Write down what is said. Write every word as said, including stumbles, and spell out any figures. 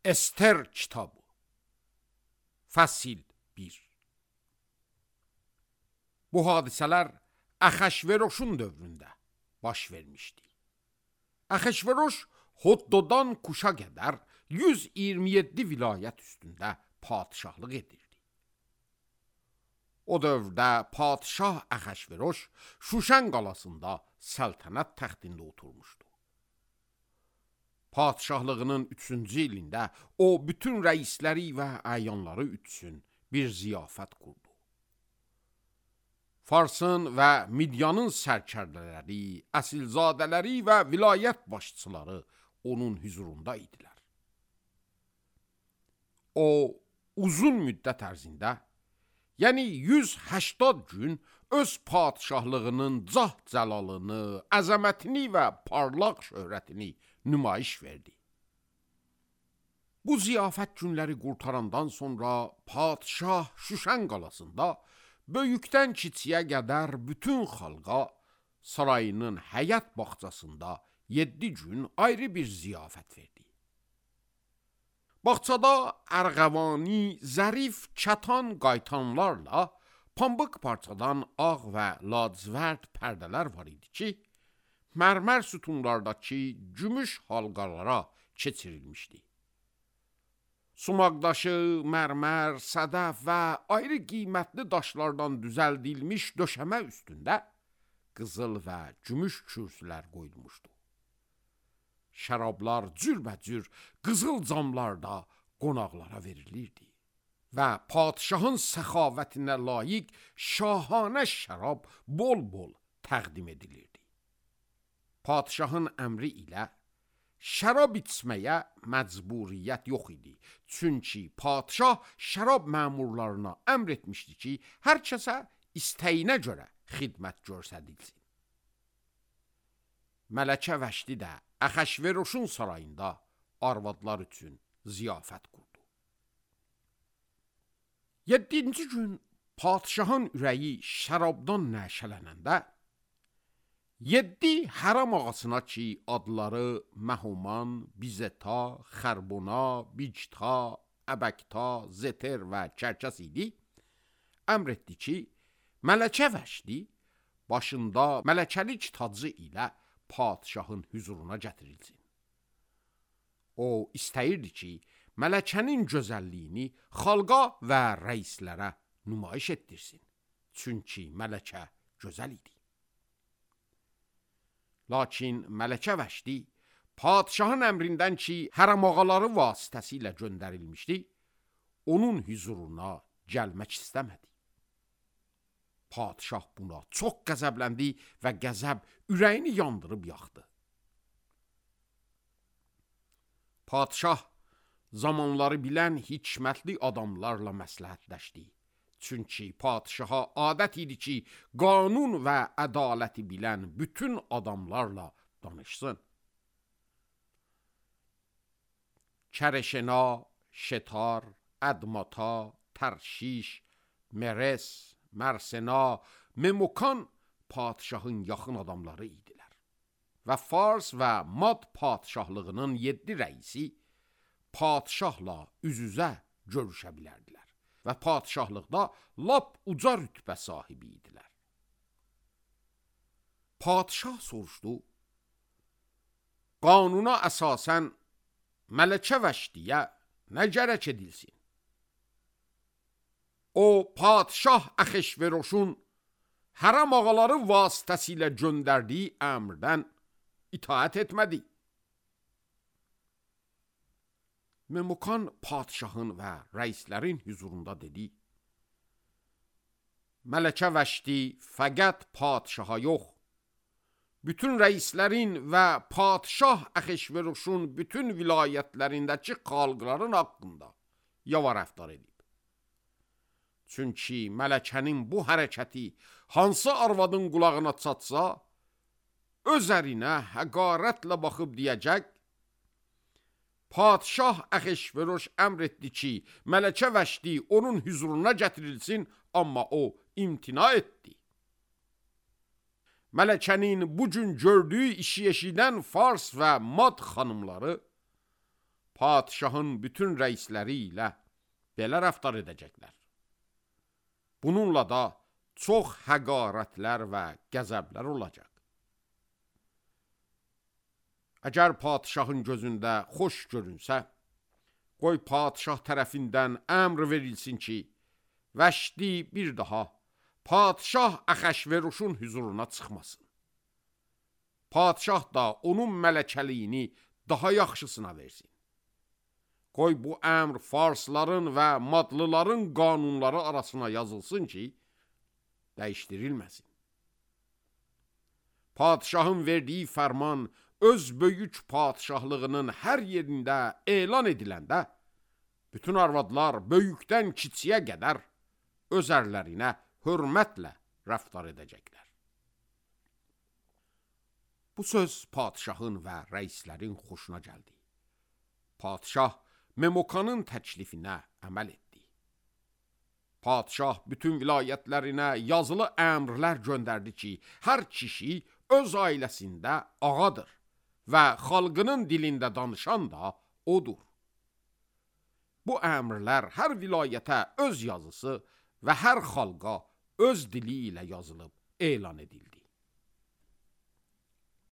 Ester kitabı. Fəsil bir. Bu hadisələr Əxəşveroşun dövründə baş vermişdi. Əxəşveroş Hoddodan Kuşa qədər yüz iyirmi yeddi vilayət üstündə padişahlıq edirdi. O dövrdə padişah Əxəşveroş Şuşan qalasında səltənət təxtində oturmuşdu. Padişahlığının üçüncü ilində o bütün rəisləri və əyanları üçün bir ziyafət qurdu. Farsın və Midyanın sərkərdələri, əsilzadələri və vilayət başçıları onun hüzurunda idilər. O uzun müddət ərzində, yəni yüz həştad gün öz padişahlığının cah-cəlalını, əzəmətini və parlaq şöhrətini nümayiş verdi. Bu ziyafət günləri qurtarandan sonra padişah Şuşan qalasında böyükdən kiçiyə qədər bütün xalqa sarayının həyət bağçasında yeddi gün ayrı bir ziyafət verdi. Bağçada ərğəvani, zərif, çatan qaytanlarla pambıq parçadan ağ və lacivərd pərdələr var idi ki, mərmər sütunlardakı gümüş halqalara keçirilmişdi. Sumaqdaşı, mərmər, sədəf və ayrı qiymətli daşlardan düzəldilmiş döşəmə üstündə qızıl və gümüş kürsülər qoyulmuşdu. Şərablar cürbəcür qızıl camlarda qonaqlara verilirdi və padişahın səxavətinə layiq şahanə şərab bol-bol təqdim edilirdi. Padişahın əmri ilə şərab içməyə məcburiyyət yox idi. Çünki padişah şərab məmurlarına əmr etmişdi ki, hər kəsə istəyinə görə xidmət göstərilsin. Mələkə Vəşdi də Əxəşveroşun sarayında arvadlar üçün ziyafət qurdu. Yeddinci gün padişahın ürəyi şərabdan nəşələnəndə, yeddi hərəm ağasına ki, adları Məhuman, Bizeta, Xərbona, Bicta, Əbəkta, Zeter və Kərkəs idi, əmr etdi ki, Mələkə Vəşdi başında mələkəlik tacı ilə padişahın hüzuruna gətirilsin. O istəyirdi ki, mələkənin gözəlliyini xalqa və rəislərə nümayiş etdirsin. Çünki mələkə gözəl idi. Lakin Mələkə Vəşdi padişahın əmrindən ki, hərəm ağaları vasitəsilə göndərilmişdi, onun hüzuruna gəlmək istəmədi. Padişah buna çox qəzəbləndi və qəzəb ürəyini yandırıb yaxdı. Padişah zamanları bilən hikmətli adamlarla məsləhətləşdi. Çünki padişaha adət idi ki, qanun və ədaləti bilən bütün adamlarla danışsın. Kərəşena, Şetar, Ədmata, Tərşiş, Meres, Mərsena, Memukan padişahın yaxın adamları idilər. Və Fars və Mad padişahlığının yeddi rəisi padişahla üz-üzə görüşə bilərdilər və padişahlıqda lap uca rütbə sahibi idilər. Padişah soruşdu, qanuna əsasən Mələkə Vəşdiyə nə gərək edilsin? O, padişah Əxəşveroşun hərəm ağaları vasitəsilə göndərdiyi əmrdən itaət etmədi. Memukan padişahın və rəislərin hüzurunda dedi, Mələkə Vəşdi fəqət padişaha yox, bütün rəislərin və padişah Əxəşveroşun bütün vilayətlərindəki xalqların haqqında yava rəftar edib. Çünki mələkənin bu hərəkəti hansı arvadın qulağına çatsa, öz ərinə həqarətlə baxıb deyəcək, padişah Əxəşveroş əmr etdi ki, Mələkə Vəşdi onun hüzuruna gətirilsin, amma o imtina etdi. Mələkənin bugün gördüyü işi eşidən Fars və Mad xanımları padişahın bütün rəisləri ilə belə rəftar edəcəklər. Bununla da çox həqarətlər və qəzəblər olacaq. Əgər padişahın gözündə xoş görünsə, qoy padişah tərəfindən əmr verilsin ki, Vəşdi bir daha padişah Əxəşveruşun hüzuruna çıxmasın. Padişah da onun mələkəliyini daha yaxşısına versin. Qoy bu əmr farsların və madlıların qanunları arasına yazılsın ki, dəyişdirilməsin. Padişahın verdiyi fərman öz böyük padişahlığının hər yerində elan ediləndə, bütün arvadlar böyükdən kiçiyə qədər öz ərlərinə hörmətlə rəftar edəcəklər. Bu söz padişahın və rəislərin xoşuna gəldi. Padişah Memokanın təklifinə əməl etdi. Padişah bütün vilayətlərinə yazılı əmrlər göndərdi ki, hər kişi öz ailəsində ağadır və xalqının dilində danışan da odur. Bu əmrlər hər vilayətə öz yazısı və hər xalqa öz dili ilə yazılıb elan edildi.